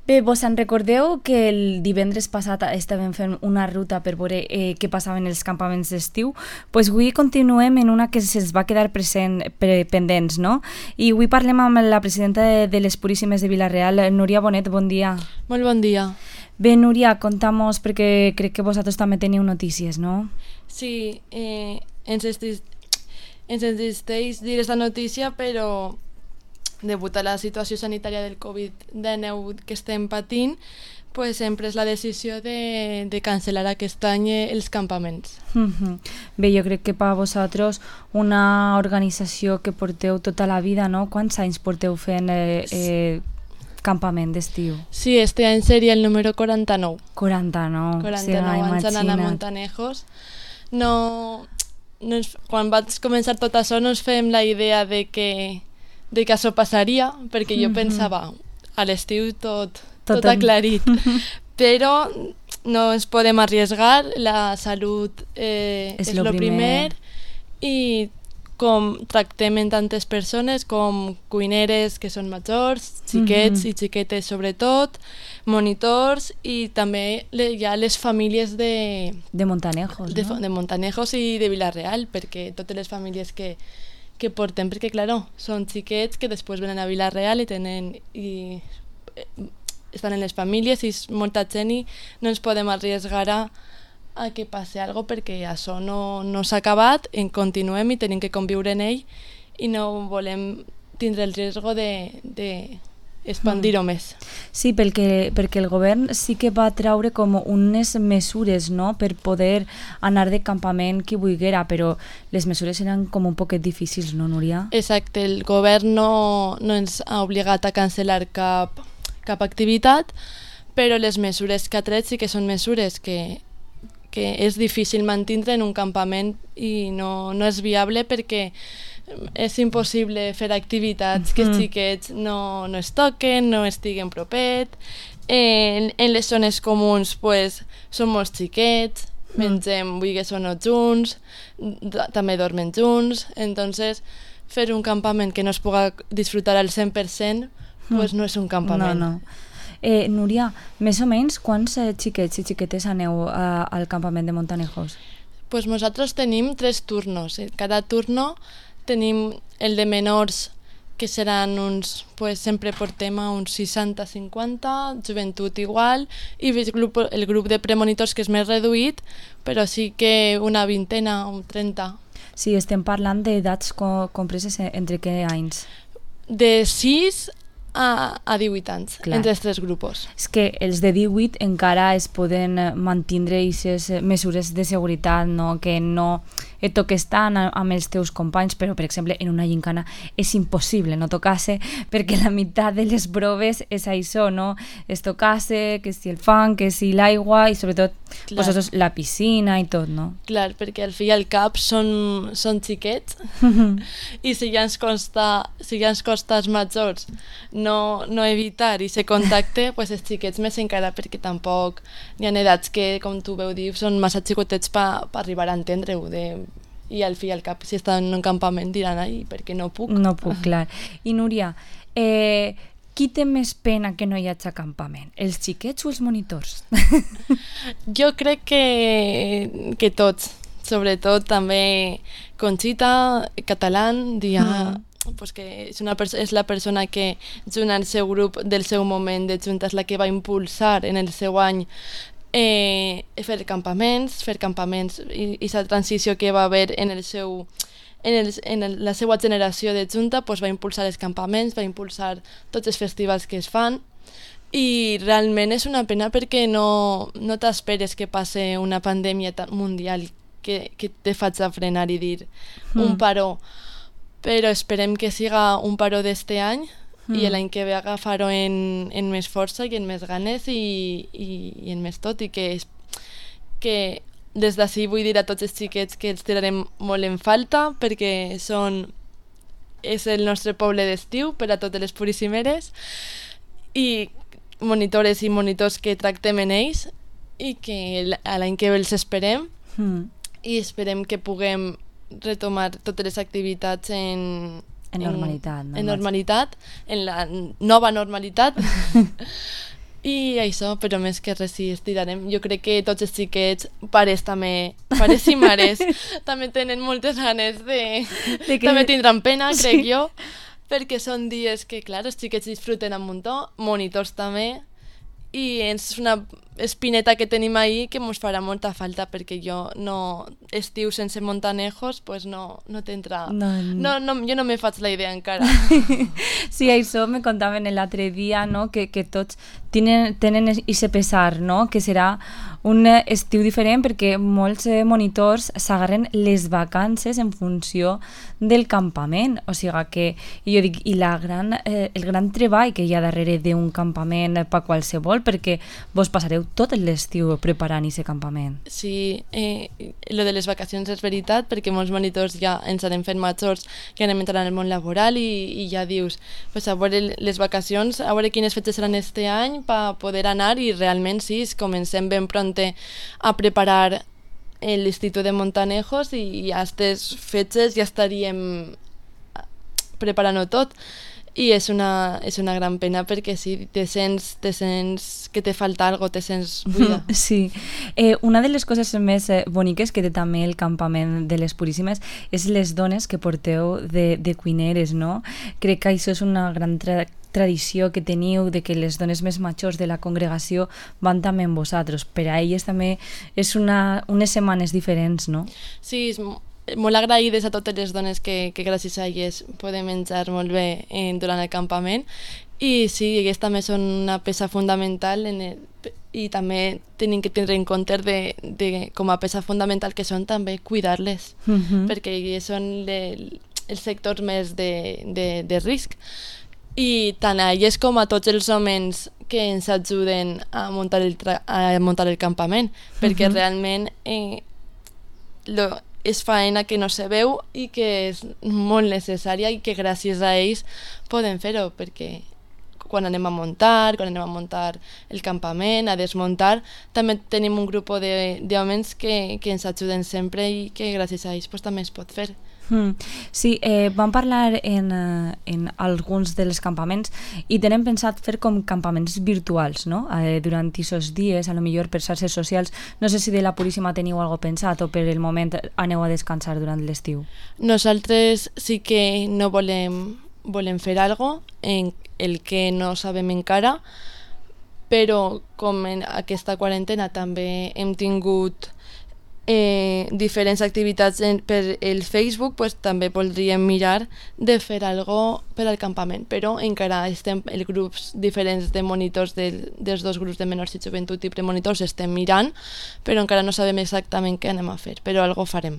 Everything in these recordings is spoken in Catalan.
Bé, vos en recordeu que el divendres passat estàvem fent una ruta per veure què passava en els campaments d'estiu? Pues avui continuem en una que se'ns va quedar pendents, no? I avui parlem amb la presidenta de les Puríssimes de Vila-real, Núria Bonet, bon dia. Molt bon dia. Bé, Núria, contamos, perquè crec que vosaltres també teniu notícies, no? Sí, ens existeix dir aquesta notícia, però degut a la situació sanitària del Covid-19 que estem patint, pues hem pres la decisió de cancel·lar aquest any els campaments. Bé, jo crec que per a vosaltres una organització que porteu tota la vida, no? Quants anys porteu fent campament d'estiu? Sí, este any seria el número 49. 49. 49 anys anant a Montanejos. Quan vaig començar tot això no ens fem la idea de que això passaria, perquè jo pensava a l'estiu tot aclarit, però no ens podem arriesgar, la salut és el primer, i com tractem en tantes persones com cuineres que són majors, xiquets i xiquetes sobretot, monitors i també hi ha les famílies de Montanejos, no? De Montanejos i de Vila-real, perquè totes les famílies que portem, perquè claro, són xiquets que després venen a Vila-real i estan en les famílies i és molta gent i no ens podem arriesgar a que passi alguna cosa perquè això no s'ha acabat, en continuem i tenim que conviure en ell i no volem tindre el risc d'expandir-ho més. Sí, perquè el govern sí que va treure com unes mesures, no?, per poder anar de campament qui volguera, però les mesures eren com un poquet difícils, no, Núria? Exacte, el govern no ens ha obligat a cancel·lar cap activitat, però les mesures que ha tret sí que són mesures que és difícil mantindre en un campament i no és viable perquè és impossible fer activitats que els xiquets no es toquen, no estiguen propet. En les zones comuns pues, són molts xiquets, mengem vulgues o no junts, també dormen junts, entonces fer un campament que no es pugui disfrutar al 100% pues no és un campament. No. Núria, més o menys quants xiquets i xiquetes aneu al campament de Montanejos? Pues nosaltres tenim 3 turnos. Cada turno tenim el de menors, que seran uns, pues sempre portem a uns 60-50, joventut igual, i el grup de premonitors, que és més reduït, però sí que una vintena o 30. Sí, estem parlant d'edats compreses entre què anys? De 6 a 18 anys, clar, entre els 3 grups. És que els de 18 encara es poden mantindre aquestes mesures de seguretat, no? Que no et toques tant amb els teus companys, però, per exemple, en una gincana és impossible no tocar-se, perquè la meitat de les proves és això, no? És tocar-se, que si el fang, que si l'aigua, i sobretot vosaltres, la piscina i tot, no? Clar, perquè al fi i al cap són xiquets, i si ja ens costa als majors no evitar i ser contacte, pues els xiquets més encara, perquè tampoc hi ha edats que, com tu veu dir, són massa xicotets per arribar a entendre-ho, i al fi i al cap, si estan en un campament diran, ai, perquè no puc. No puc, clar. I Núria, qui té més pena que no hi hagi campament? Els xiquets o els monitors? Jo crec que tots, sobretot també Conxita, Catalán, pues que és la persona que junt al seu grup del seu moment de junta és la que va impulsar en el seu any fer campaments i la transició que va haver en la seva generació de junta, pues va impulsar els campaments, va impulsar tots els festivals que es fan, i realment és una pena perquè no t'esperes que passe una pandèmia mundial que te faig a frenar i dir un paró, però esperem que siga un paró d'este any i l'any que ve agafar-ho en més força i en més ganes i en més tot, i que des d'ací vull dir a tots els xiquets que els tirarem molt en falta perquè és el nostre poble d'estiu per a totes les puríssimeres, i monitores i monitors que tractem en ells i que l'any que ve els esperem i esperem que puguem retomar totes les activitats en normalitat, no? En normalitat, en la nova normalitat I això, però més que res sí estirarem. Jo crec que tots els xiquets, pares també, pares i mares, també tenen moltes ganes de que... També tindran pena, crec jo, perquè són dies que, clar, els xiquets disfruten un muntó, monitors també, i és una espineta que tenim ahí que ens farà molta falta, perquè jo no estiu sense Montanejos pues no t'entra... Jo no me faig la idea encara. Sí, això me contaven l'altre dia, no? que tots tenen ese pesar, no? Que serà un estiu diferent perquè molts monitors s'agarren les vacances en funció del campament, o sigui que jo dic, i el gran treball que hi ha darrere d'un campament per qualsevol, perquè vos passareu tot l'estiu preparant aquest campament. Sí, lo de les vacacions és veritat, perquè molts monitors ja ens anem fent majors que anem entrant al món laboral i ja dius, pues a veure les vacacions, a veure quines fetges seran este any per poder anar, i realment sí, comencem ben pronte a preparar l'Institut de Montanejos i a aquestes fetges ja estaríem preparant-ho tot. I és una gran pena perquè sí, te sents que te falta algo, te sents buida. Sí. Una de les coses més boniques que té també el campament de les Puríssimes és les dones que porteu de cuineres, no? Crec que això és una gran tradició que teniu, de que les dones més majors de la congregació van també amb vosaltres. Per a elles també és unes setmanes diferents, no? Sí, és molt agraïdes a totes les dones que gràcies a elles podem menjar molt bé durant el campament, i sí, elles també són una peça fundamental i també tenim que tindre en compte de com a peça fundamental que són també cuidar-les, perquè elles són els sectors més de risc, i tant a elles com a tots els homes que ens ajuden a muntar el campament, perquè realment és faena que no se veu i que és molt necessària i que gràcies a ells podem fer-ho, perquè quan anem a muntar el campament, a desmuntar, també tenim un grup d'homes que ens ajuden sempre i que gràcies a ells pues, també es pot fer. Sí, vam parlar en alguns dels campaments i tenen pensat fer com campaments virtuals, no? Durant aquests dies, a lo millor per xarxes socials. No sé si de la Puríssima teniu alguna cosa pensat o per el moment aneu a descansar durant l'estiu. Nosaltres sí que no volem fer alguna cosa, en el que no sabem encara, però com en aquesta quarantena també hem tingut diferents activitats per el Facebook, pues, també voldríem mirar de fer alguna cosa per al campament, però encara estem els grups diferents de monitors dels dos grups de menors i joventut i premonitors estem mirant, però encara no sabem exactament què anem a fer, però algo farem.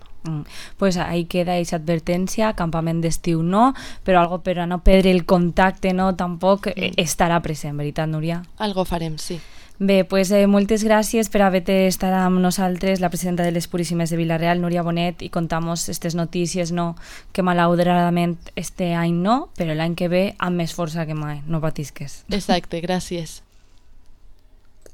Pues ahí queda aquesta advertència, campament d'estiu no, però algo per a no perdre el contacte no, tampoc estarà present, veritat, Núria? Algo farem, sí. Bé, pues, moltes gràcies per haver estat amb nosaltres, la presidenta de les Puríssimes de Vila-real, Núria Bonet, i contamos aquestes notícies, no, que malauradament este any no, però l'any que ve amb més força que mai, no patisques. Exacte, gràcies.